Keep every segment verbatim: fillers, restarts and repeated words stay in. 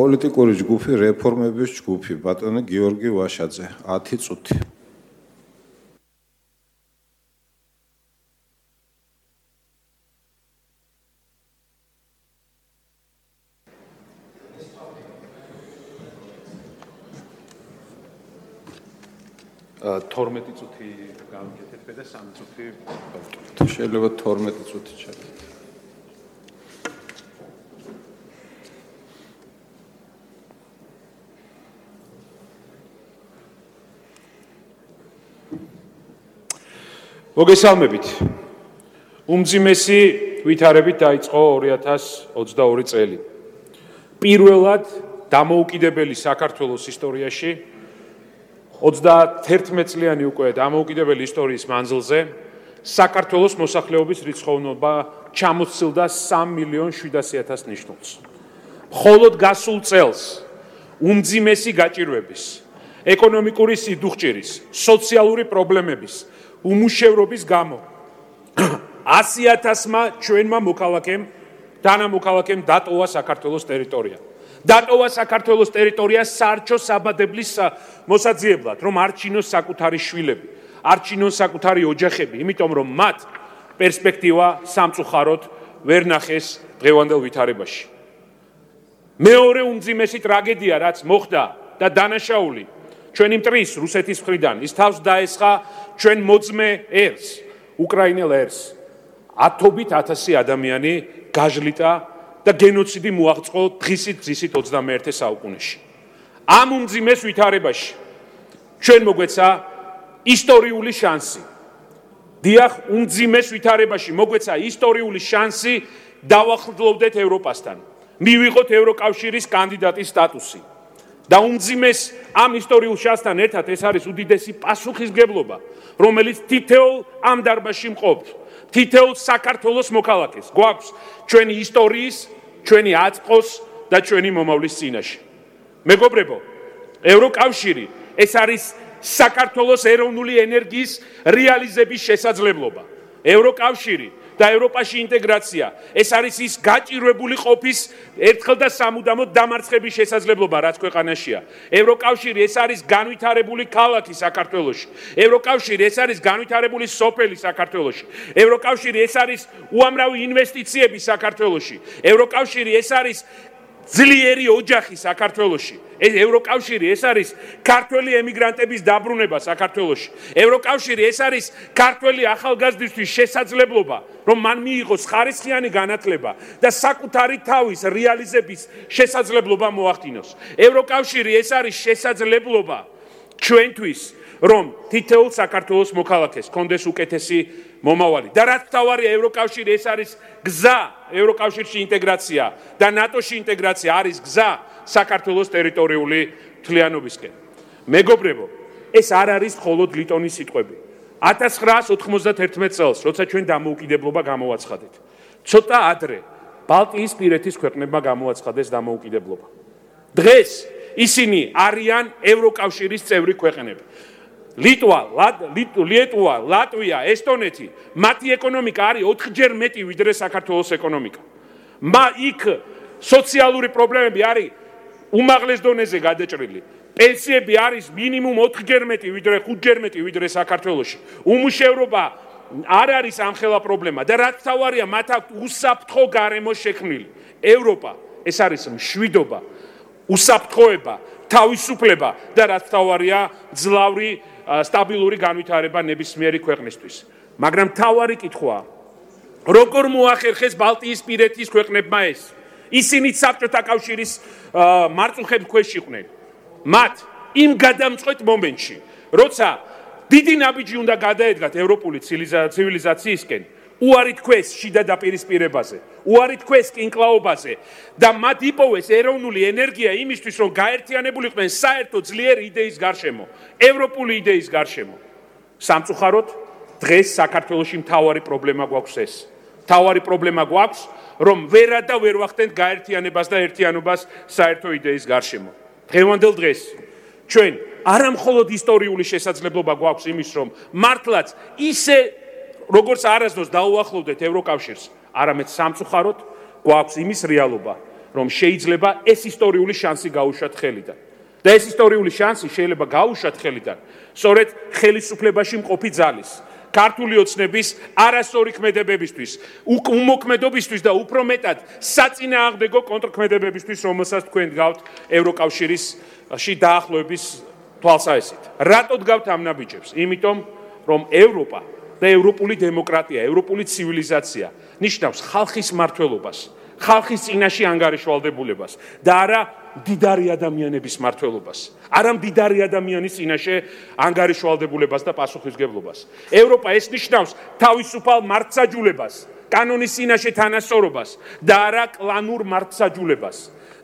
პოლიტიკური ჯგუფი რეფორმების ჯგუფი ბატონი გიორგი ვაშაძე ათი წუთი. თორმეტი წუთი გავაკეთეთ და სამი წუთი შეიძლება თორმეტი წუთი ჩავდეთ. მოგესალმებით. უმძიმესი ვითარებით დაიწყო ორი ათას ოცდაორი წელი. პირველად დამოუკიდებელი საქართველოს ისტორიაში ოცდაათერთმეტ წლიანი უკვე დამოუკიდებელი ისტორიის მანძილზე საქართველოს მოსახლეობის რიცხოვნობა ჩამოსცილდა სამ მილიონ შვიდასი ათას ნიშნულს. მხოლოდ გასულ წელს უმძიმესი გაჭირვების, ეკონომიკური სიდუხჭირის, სოციალური პრობლემების, უმუშევრობის გამო ასი ათასმა ჩვენმა მოქალაქემ, თანამოქალაქემ დატოვა საქართველოს ტერიტორია. დატოვა საქართველოს ტერიტორია საარჩევნო საბადებლის მოსაძიებლად, რომ არჩინოს საკუთარი შვილები, არჩინოს საკუთარი ოჯახები, იმიტომ რომ მათ პერსპექტივა სამწუხაროდ ვერ ნახეს დღევანდელ ვითარებაში. მეორე უმძიმესი ტრაგედია, რაც მოხდა და დანაშაული ჩვენი მტრის რუსეთის მხრიდან, ის თავს დაესხა ჩვენ მოძმე ერს, უკრაინელ ერს. ათობით ათასი ადამიანი გაჟლიტა და გენოციდი მოაღწყო დღისით დღისით ოცდამეერთე საუკუნეში. ამ უმძიმეს ვითარებაში ჩვენ მოგვეცა ისტორიული შანსი. დიახ, უმძიმეს ვითარებაში მოგვეცა ისტორიული შანსი დავახლოვდეთ ევროპასთან. მივიღოთ ევროკავშირის კანდიდატის სტატუსი. და უმძიმეს ამ ისტორიულ შანსთან ერთად ეს არის უდიდესი პასუხისმგებლობა, რომელიც თითოეულ ამ დარბაზში მყოფ, თითოეულ საქართველოს მოქალაქეს გვაქვს ჩვენი ისტორიის, ჩვენი აწმყოს და ჩვენი მომავლის წინაშე. მეგობრებო, ევროკავშირი ეს არის საქართველოს ეროვნული ენერგიის რეალიზების შესაძლებლობა. ევროკავშირი და ევროპაში ინტეგრაცია ეს არის ის გაჭირვებული ყოფის ერთხელ და სამუდამოდ დამარცხების შესაძლებლობა, რაც ქვეყანაშია. ევროკავშირი ეს არის განვითარებული ქალაქი საქართველოში. ევროკავშირი ეს არის განვითარებული სოფელი საქართველოში. ევროკავშირი ეს არის უამრავი ინვესტიციები საქართველოში. ევროკავშირი ეს არის ძლიერი ოჯახი საქართველოში. ეს ევროკავშირი ეს არის ქართველი ემიგრანტების დაბრუნება საქართველოში. ევროკავშირი ეს არის ქართველი ახალგაზრდისთვის შესაძლებლობა, რომ მან მიიღოს ხარისხიანი განათლება და საკუთარი თავის რეალიზების შესაძლებლობა მოახდინოს. ევროკავშირი ეს არის შესაძლებლობა ჩვენთვის, რომ თითოეულ საქართველოს მოქალაქეს კონდეს უკეთესი მომავალი. და რაც მთავარია, ევროკავშირი ეს არის გზა ევროკავშირში ინტეგრაცია და ნატოში ინტეგრაცია არის გზა საქართველოს ტერიტორიული მთლიანობისკენ. მეგობრებო, ეს არ არის მხოლოდ ლიტონის სიტყვები. ათას ცხრაას ოთხმოცდათერთმეტ წელს, როცა ჩვენ დამოუკიდებლობა გამოვაცხადეთ, ცოტა ადრე ბალტიისპირეთის ქვეყნებმა გამოაცხადეს დამოუკიდებლობა. დღეს ისინი არიან ევროკავშირის წევრი ქვეყნები. ლიტვა, ლიტვა, ლატვია, ესტონეთი, მათი ეკონომიკა არის ოთხჯერ მეტი ვიდრე საქართველოს ეკონომიკა. მა იქ სოციალური პრობლემები არის უმაღლეს დონეზე გადაჭრილი. პენსიები არის მინიმუმ ოთხჯერ მეტი ვიდრე ხუთჯერ მეტი ვიდრე საქართველოში. უმუშევრობა არ არის ამხელა პრობლემა და რაც მთავარია, მათ აქვს უსაფრთხო გარემო შექმნილი. ევროპა ეს არის მშვიდობა, უსაფრთხოება, თავისუფლება და რაც მთავარია, ძლავრი სტაბილური განვითარება ნებისმიერი ქვეყნისთვის. მაგრამ მთავარი კითხვაა, როგორ მოახერხეს ბალტიისპირეთის ქვეყნებმა ეს? ისინი საბჭოთა კავშირის მარწუხებს ქვეშ იყვნენ. მათ იმ გადამწყვეტ მომენტში, როცა დიდი ნაბიჯი უნდა გადაედგათ ევროპული ცივილიზაციისკენ, უარი თქვეს შიდა დაპირისპირებაზე, უარი თქვეს კინკლაობაზე და მათ იპოვეს ეროვნული ენერგია იმისთვის, რომ გაერთიანებულიყვნენ საერთო ძლიერი იდეის გარშემო, ევროპული იდეის გარშემო. სამწუხაროდ, დღეს საქართველოში მთავარი პრობლემა გვაქვს ეს. მთავარი პრობლემა გვაქვს, რომ ვერა და ვერ ვახდენთ გაერთიანებას და ერთიანობას საერთო იდეის გარშემო. დღევანდელ დღეს ჩვენ არა მხოლოდ ისტორიული შესაძლებლობა გვაქვს იმის, რომ მართლაც ისე როგორც არასდროს დაუახლოვდეთ ევროკავშირს, არამედ სამწუხაროდ გვაქვს იმის რეალობა, რომ შეიძლება ეს ისტორიული შანსი გაუშვათ ხელიდან. და ეს ისტორიული შანსი შეიძლება გაუშვათ ხელიდან სწორედ ხელისუფლებაში მყოფი ძალის ქართული ოცნების არასწორი ქმედებებისთვის, უმოქმედობისთვის და უფრო მეტად საწინააღმდეგო კონტრქმედებებისთვის, რომელსაც თქვენ დგავთ ევროკავშირში დაახლოების თვალსაჩინოდ. რატო დგავთ ამ ნაბიჯებს? იმიტომ, რომ ევროპა და ევროპული დემოკრატია, ევროპული ცივილიზაცია ნიშნავს ხალხის მმართველობას, ხალხის წინაშე ანგარიშვალდებულებას და არა მდიდარი ადამიანების მმართველობას, არა მდიდარი ადამიანის წინაშე ანგარიშვალდებულებას და პასუხისმგებლობას. ევროპა ეს ნიშნავს თავისუფალ მართსაჯულებას, კანონის წინაშე თანასწორობას და არა კლანურ მართსაჯულებას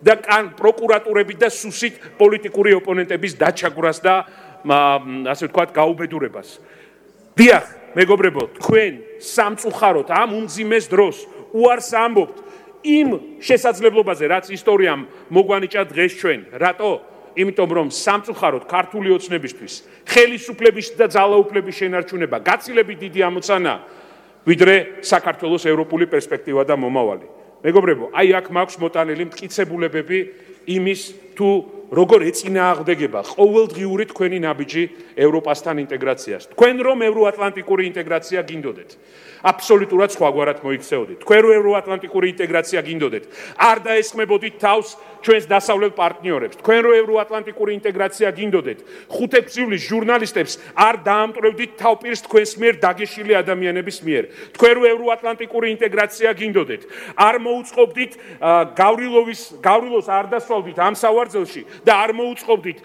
და პროკურატურებით და სუსით პოლიტიკური ოპონენტების დაჩაგვრას და ასე ვთქვათ გაუბედურებას. დიახ, მეგობრებო, თქვენ სამწუხაროდ ამ უმძიმეს დროს უარს ამბობთ იმ შესაძლებლობაზე, რაც ისტორიამ მოგვანიჭა დღეს ჩვენ. რატო? იმიტომ რომ სამწუხაროდ ქართული ოცნებისთვის ხელისუფლების და ძალაუფლების შენარჩუნება გაცილებით დიდი ამოცანა, ვიდრე საქართველოს ევროპული პერსპექტივა და მომავალი. მეგობრებო, აი აქ მაქვს მოტანილი მტკიცებულებები იმის თუ როგორ ეწინააღმდეგება ყოველდღიური თქვენი ნაბიჯი ევროპასთან ინტეგრაციას. თქვენ რომ ევროატლანტიკური ინტეგრაცია გინდოდეთ, აბსოლუტურად სხვაგვარად მოიქცეოდით. თქვენ რომ ევროატლანტიკური ინტეგრაცია გინდოდეთ, არ დაესხმებოდით თავს ჩვენს დასავლელ პარტნიორებს. თქვენ რომ ევროატლანტიკური ინტეგრაცია გინდოდეთ, ხუთექვსივლის ჟურნალისტებს არ დაამტვრევდით თავპირს თქვენს მიერ დაგეშილი ადამიანების მიერ. თქვენ რომ ევროატლანტიკური ინტეგრაცია გინდოდეთ, არ მოუწყობდით გავრილოვის გავრილოს არ დასვავდით ამ სავარძელში და არ მოუწყობდით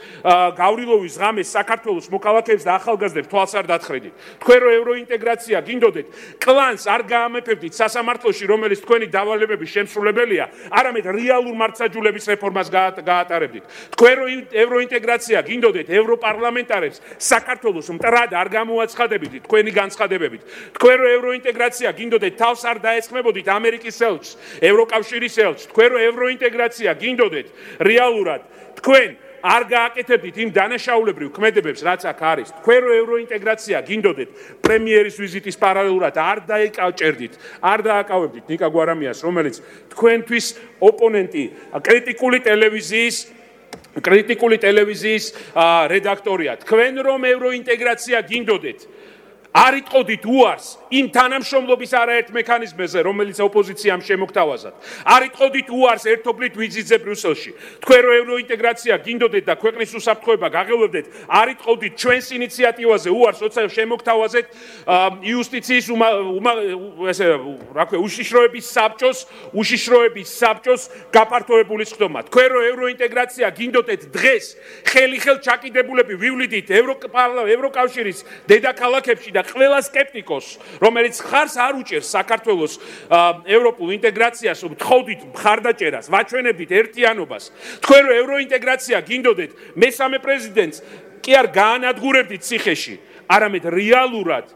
გავრილოვის ღამეს საქართველოს მოქალაქეებს და ახალგაზრდებს თვალს არ დათხრედით. თქვენ რომ ევროინტეგრაცია გინდოდეთ, კლანს არ გაამეფებდით სასამართლოში, რომელიც თქვენი დავალებების შემსრულებელია, არამედ რეალურ მართსაჯულების რეფორმას გაატარებდით. თქვენ რომ ევროინტეგრაცია გინდოდეთ, ევროპარლამენტარებს საქართველოს მტრად არ გამოაცხადებდით თქვენი განცხადებებით. თქვენ რომ ევროინტეგრაცია გინდოდეთ, თავს არ დაესხმებოდით ამერიკის ელჩს, ევროკავშირის ელჩს. თქვენ რომ ევროინტეგრაცია გინდოდეთ, რეალურად თქვენ არ გააკეთებდით იმ დანაშაულებრივ ქმედებებს, რაც აქ არის. თქვენ რომ ევროინტეგრაცია გინდოდეთ, პრემიერის ვიზიტის პარალელურად არ დაეკავჭერდით, არ დააკავებდით ნიკა გვარამიას, რომელიც თქვენთვის ოპონენტი, კრიტიკული ტელევიზიის კრიტიკული ტელევიზიის რედაქტორია. თქვენ რომ ევროინტეგრაცია გინდოდეთ, არ იტყოდით უარს იმ თანამშრომლობის არაერთ მექანიზმზე, რომელიც ოპოზიციამ შემოგთავაზათ. არ იტყოდით უარს ერთობლივ ვიზიტზე ბრიუსელში. თქვენ რომ ევროინტეგრაცია გინდოდეთ და ქვეყნის უსაფრთხოება გაღელვებდეთ, არ იტყოდით ჩვენს ინიციატივაზე უარს, როცა შემოგთავაზეთ იუსტიციის ესე რა ქვია, უშიშროების საბჭოს, უშიშროების საბჭოს გაფართოებული ხდომა. თქვენ რომ ევროინტეგრაცია გინდოდეთ, დღეს ხელი-ხელ ჩაკიდებულები ვივლიდით ევროკავშირის დედაქალაქებში და ყველა სკეპტიკოს, რომელიც ხარს არ უჭერს საქართველოს ევროპულ ინტეგრაციას, ვთხოვდით მხარდაჭერას, ვაჩვენებდით ერთიანობას. თქვენ რომ ევროინტეგრაცია გინდოდეთ, მესამე პრეზიდენტს კი არ გაანადგურებდით ციხეში, არამედ რეალურად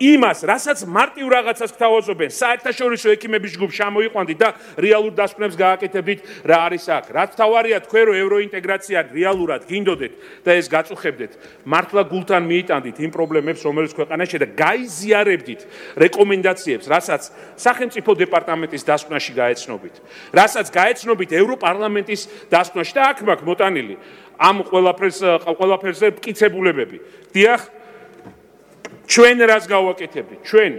იმას, რასაც მარტივ რაღაცას გთავაზობენ, საერთაშორისო ექიმების ჯგუფს ჩამოიყვანდით და რეალურ დასკვნებს გააკეთებდით, რა არის აქ. რაც თავარია, თქვენ რომ ევროინტეგრაცია რეალურად გინდოდეთ და ეს გაწუხებდეთ, მართლა გულთან მიიტანდით იმ პრობლემებს, რომელიც ქვეყანაში და გაიზიარებდით რეკომენდაციებს, რასაც სახელმწიფო დეპარტამენტის დასკვნაში გაეცნობით, რასაც გაეცნობით ევროპარლამენტის დასკვნაში და აქ მაქვს მოტანილი ამ ყველაფერს ყველაფერზე მტკიცებულებები. დიახ, ჩვენ რას გავაკეთებდით? ჩვენ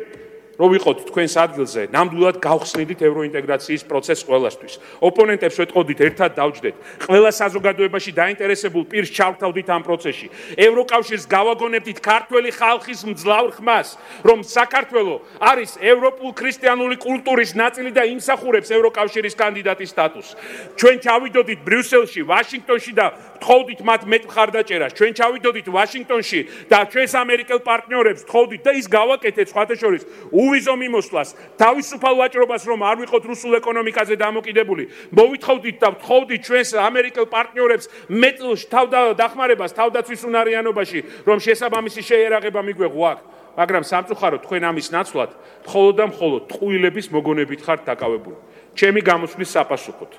რო ვიყოთ თქვენს ადგილზე, ნამდვილად გავხსნიდით ევროინტეგრაციის პროცესს ყველასთვის. ოპონენტებს ვეტყოდით, ერთად დავჯდეთ. ყველა საზოგადოებაში დაინტერესებულ პირს ჩავთავდით ამ პროცესში. ევროკავშირს გავაგონებდით ქართველი ხალხის მძლავრ ხმას, რომ საქართველო არის ევროპულ ქრისტიანული კულტურის ნაწილი და იმსახურებს ევროკავშირის კანდიდატის სტატუსს. ჩვენ ჩავიდოდით ბრიუსელში, ვაშინგტონში და ვთხოვდით მათ მეტ მხარდაჭერას. ჩვენ ჩავიდოდით ვაშინგტონში და ჩვენს ამერიკელ პარტნიორებს ვთხოვდით და ის გავაკეთეთ სხვათა შორის უვიზო მიმოსვლას, თავისუფალ ვაჭრობას, რომ არ ვიყოთ რუსულ ეკონომიკაზე დამოკიდებული. მოვითხოვდით და ვთხოვდით ჩვენს ამერიკელ პარტნიორებს მეტ თავდახმარებას თავდაცვის უნარიანობაში, რომ შესაბამისი შეერაღება მიგვეღო აქ. მაგრამ სამწუხაროდ თქვენ ამის ნაცვლად მხოლოდ და მხოლოდ ტყუილების მოგონებით ხართ დაკავებული. ჩემი გამოსვლის საპასუხოდ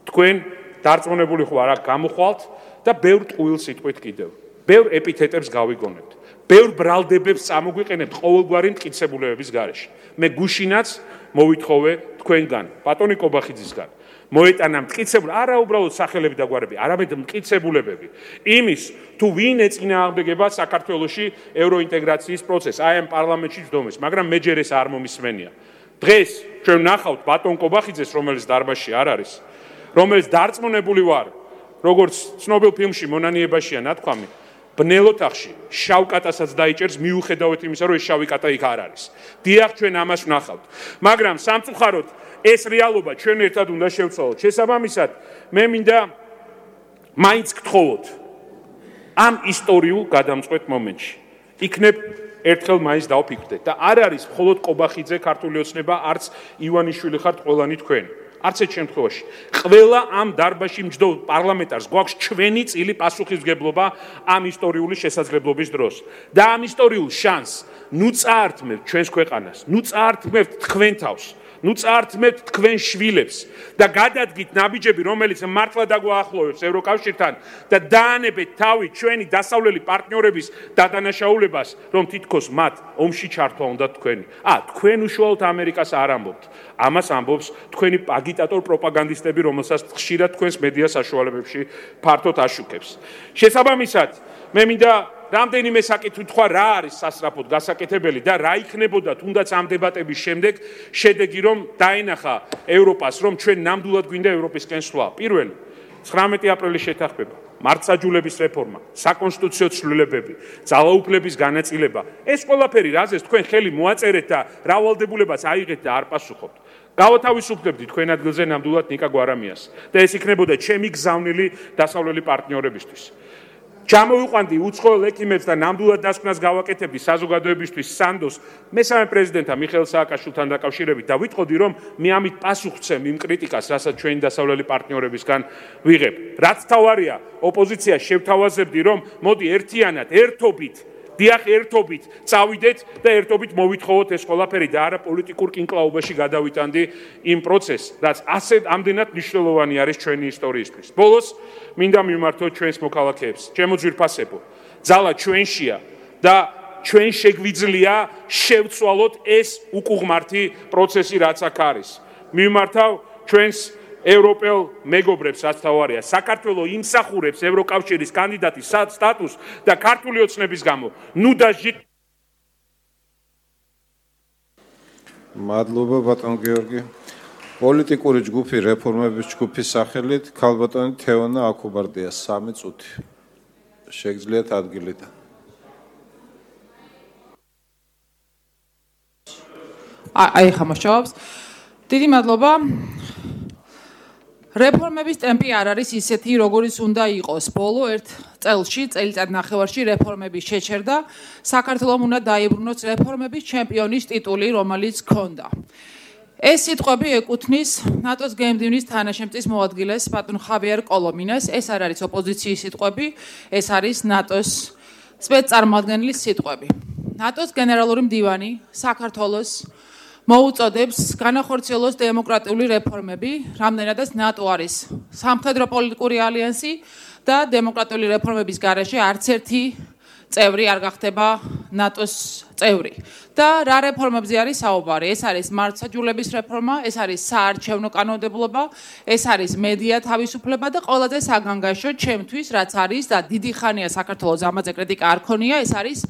თქვენ დარწმუნებული ხარ აქ გამოხვალთ და ბევრ ტყუილ სიტყვით კიდევ, ბევრ ეპითეტებს გავიგონებთ. ბევრ ბრალდებებს წამოგვიყენებთ ყოველგვარი მტკიცებულებების გარეშე. მე გუშინაც მოვითხოვე თქვენგან, ბატონი კობახიძისგან, მოეტანა მტკიცებული, არა უბრალოდ სახელები და გვარები, არამედ მტკიცებულებები იმის, თუ ვინ ეწინააღმდეგება საქართველოში ევროინტეგრაციის პროცესს, აი ამ პარლამენტში ჯდომის, მაგრამ მე ჯერ ეს არ მომისმენია. დღეს ჩვენ ვნახავთ ბატონ კობახიძეს, რომელიც დარბაზში არ არის, რომელიც დარწმუნებული ვარ, როგორც ცნობილ ფილმში მონანიებაშია ნათქვამი, ბნელ ოთახში შავ კატასაც დაიჭერს მიუხედავად იმისა, რომ ეს შავი კატა იქ არ არის. დიახ, ჩვენ ამას ვნახავთ. მაგრამ სამწუხაროდ ეს რეალობა ჩვენ ერთად უნდა შევცვალოთ. შესაბამისად, მე მინდა მაინც გთხოვოთ ამ ისტორიულ გადამწყვეტ მომენტში. იქნებ ერთხელ მაინც დავფიქრდეთ და არ არის მხოლოდ კობახიძე ქართული ოცნება, არც ივანიშვილი ხართ ყველანი თქვენ. არც ერთ შემთხვევაში. ყველა ამ დარბაზში მჯდომ პარლამენტარს გვაქვს ჩვენი წილი პასუხისმგებლობა ამ ისტორიული შესაძლებლობის დროს. და ამ ისტორიულ შანსს ნუ წაართმევთ ჩვენს ქვეყანას, ნუ წაართმევთ თქვენ თავს, ნუ წაართმევთ თქვენ შვილებს და გადადგით ნაბიჯები, რომელიც მართლა დაგვაახლოვებს ევროკავშირთან და დაანებეთ თავი ჩვენი დასავლელი პარტნიორების დადანაშაულებას, რომ თითქოს მათ ომში ჩართვა უნდა თქვენი. ა, თქვენ უშუალოდ ამერიკას არ ამბობთ. ამას ამბობს თქვენი აგიტატორ პროპაგანდისტები, რომელსაც ხშირად თქვენს მედია საშუალებებში ფართოდ აშუქებს. შესაბამისად, მე მინდა რამდენიმე საკითხი თქვა, რა არის სასწრაფოდ გასაკეთებელი და რა იქნებოდა თუნდაც ამ დებატების შემდეგ შედეგი, რომ დაენახა ევროპას, რომ ჩვენ ნამდვილად გვინდა ევროპისკენ სვლა. პირველი, ცხრამეტი აპრილის შეთანხმება, მართლმსაჯულების რეფორმა, საკონსტიტუციო ცვლილებები, ძალაუფლების განაწილება. ეს ყველაფერი, რაზეც თქვენ ხელი მოაწერეთ და რა ვალდებულებას აიღეთ და არ პასუხობთ. გავათავისუფლებდი თქვენ ადგილზე ნამდვილად ნიკა გვარამიას და ეს იქნებოდა ჩემი გზავნილი დასავლელი პარტნიორებისთვის. ჩამოვიყვანდი უცხოელ ექიმებს და ნამდვილად დასკვნას გავაკეთებდი საზოგადოებისთვის სანდოს მესამე პრეზიდენტთან მიხეილ სააკაშვილთან დაკავშირებით და ვიტყოდი, რომ მე ამით პასუხ ვცემ იმ კრიტიკას, რასაც ჩვენი დასავლელი პარტნიორებისგან ვიღებ. რაც თავარია, ოპოზიცია შევთავაზებდი, რომ მოდი ერთიანად, ერთობით დიახ, ერთობით წავიდეთ და ერთობით მოვითხოვოთ ეს ყველაფერი და არა პოლიტიკურ კინკლაობაში გადავიტანდი იმ პროცესს, რაც ასე ამდენად მნიშვნელოვანი არის ჩვენი ისტორიისთვის. ბოლოს მინდა მიმართოთ ჩვენს მოქალაქეებს. ჩემო ძვირფასებო, ძალა ჩვენშია და ჩვენ შეგვიძლია შევცვალოთ ეს უკუღმართი პროცესი, რაც აქ არის. მიმართავ ჩვენს ევროპელ მეგობრებს, რაც თავარია, საქართველოს იმსახურებს ევროკავშირის კანდიდატის სტატუსს და ქართული ოცნების გამო ნუ დაჟით. მადლობა ბატონ გიორგი. პოლიტიკური ჯგუფი რეფორმების ჯგუფის სახელით ქალბატონი თეონა აკუბარდია სამი წუთი. შეგძლიათ ადგილიდან. აი ხა მოსჯობს. დიდი მადლობა. რეფორმების ტემპი არ არის ისეთი, როგორიც უნდა იყოს. ბოლო ერთ წელში, წელიწად ნახევარში რეფორმების შეჩერდა. საქართველოს უნდა დაიბრუნოს რეფორმების ჩემპიონის ტიტული, რომელიც ჰქონდა. ეს სიტყვები ეკუთვნის ნატოს გემდივნის თანაშემწის მოადგილეს ბატონ ხავიერ კოლომინას. ეს არ არის ოპოზიციის სიტყვები, ეს არის ნატოს სპეცწარმოადგენლის სიტყვები. ნატოს გენერალური მდივანი საქართველოს მოუწოდებს განახორციელოს დემოკრატიული რეფორმები, რამდენადაც ნატო არის სამხედრო პოლიტიკური ალიანსი და დემოკრატიული რეფორმების გარეშე არც ერთი წევრი არ გახდება ნატოს წევრი. და რა რეფორმებზე არის საუბარი? ეს არის მართლმსაჯულების რეფორმა, ეს არის საარჩევნო კანონმდებლობა, ეს არის მედია თავისუფლება და ყველაზე საგანგაშო ჩემთვის, რაც არის და დიდი ხანია საქართველოს ამაზე კრიტიკა არ ქონია, ეს არის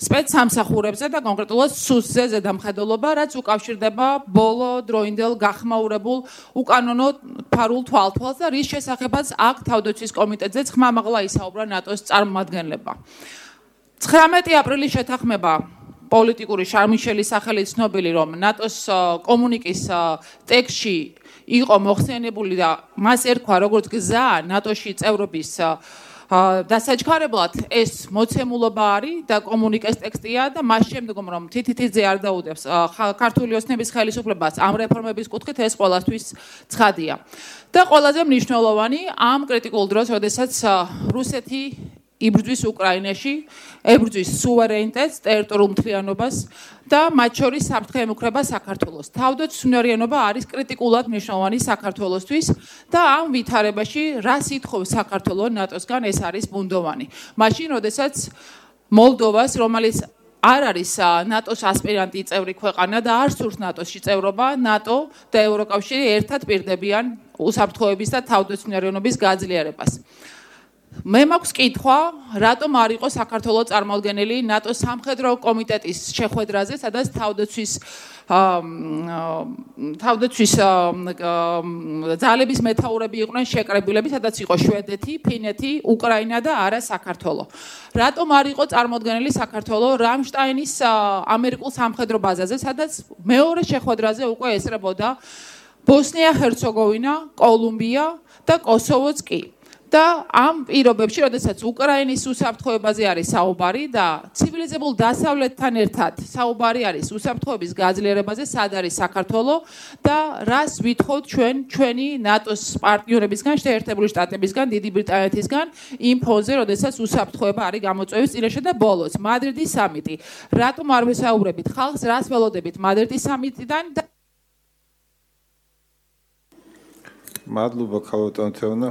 სპეცსამსახურებზე და კონკრეტულად სუსზე ზედამხედველობა, რაც უკავშირდება ბოლო დროინდელ გახმაურებულ უკანონო ფარულ თვალთვალს და რის შესახებაც აქ თავდაცვის კომიტეტზეც ხმამაღლა ისაუბრა ნატოს წარმომადგენლებმა. ცხრამეტი აპრილის შეთანხმება პოლიტიკური შარმიშელის სახელით ცნობილი, რომ ნატოს კომუნიკის ტექსტში იყო მოხსენებული და მას ერქვა როგორც გზა ნატოში წევრობის დასაჩქარებლად ეს მოცემულობა არის და კომუნიკეს ტექსტია და მას შემდგომ რომ თითითიძე არ დაუდევს ქართული ოცნების ხელისუფლებას ამ რეფორმების კუთხით ეს ყველასთვის ცხადია. და ყველაზე მნიშვნელოვანი ამ კრიტიკულ დროს, როდესაც რუსეთი იბრძვის უკრაინაში, ებრძვის სუვერენიტეტს, ტერიტორიულ მთლიანობას და მათ შორის საფრთხე ემუქრება საქართველოს. თავდაცვისმნარიანობა არის კრიტიკულად მნიშვნელოვანი საქართველოსთვის და ამ ვითარებაში რა სითხოვს საქართველოს ნატოსგან ეს არის ბუნდოვანი. მაშინ, როდესაც მოლდოვას, რომელიც არ არის ნატოს ასპირანტი წევრი ქვეყანა და არ სურს ნატოსში წევრობა, ნატო და ევროკავშირი ერთად პირდებიან უსაფრთხოების და თავდაცვნილების გაძლიერებას. მე მაქვს კითხვა, რატომ არ იყო საქართველოს წარმოადგენელი ნატოს სამხედრო კომიტეტის შეხვედრაზე, სადაც თავდაცვის თავდაცვის ძალების მეთაურები იყვნენ შეკრებილები, სადაც იყო შვედეთი, ფინეთი, უკრაინა და არა საქართველო. რატომ არ იყო წარმოდგენილი საქართველო რამშტაინის ამერიკულ სამხედრო ბაზაზე, სადაც მეორე შეხვედრაზე უკვე ესწრებოდა ბოსნია-ჰერცეგოვინა, კოლუმბია და კოსოვოც კი. და ამ პირობებში, როდესაც უკრაინის უსაფრთხოებაზე არის საუბარი და ცივილიზებულ დასავლეთთან ერთად საუბარი არის უსაფრთხოების გაძლიერებაზე, სად არის საქართველო და რას ვითხოვთ ჩვენ ჩვენი ნატოს პარტნიორებისგან, შეერთებული შტატებისგან, დიდი ბრიტანეთისგან იმ ფონზე, როდესაც უსაფრთხოება არის გამოწვევის წინაშე და ბოლოს მადრიდის სამიტი. რატომ არ ვესაუბრებით ხალხს, რას ველოდებით მადრიდის სამიტიდან და მადლობა ქალბატონ თეონა.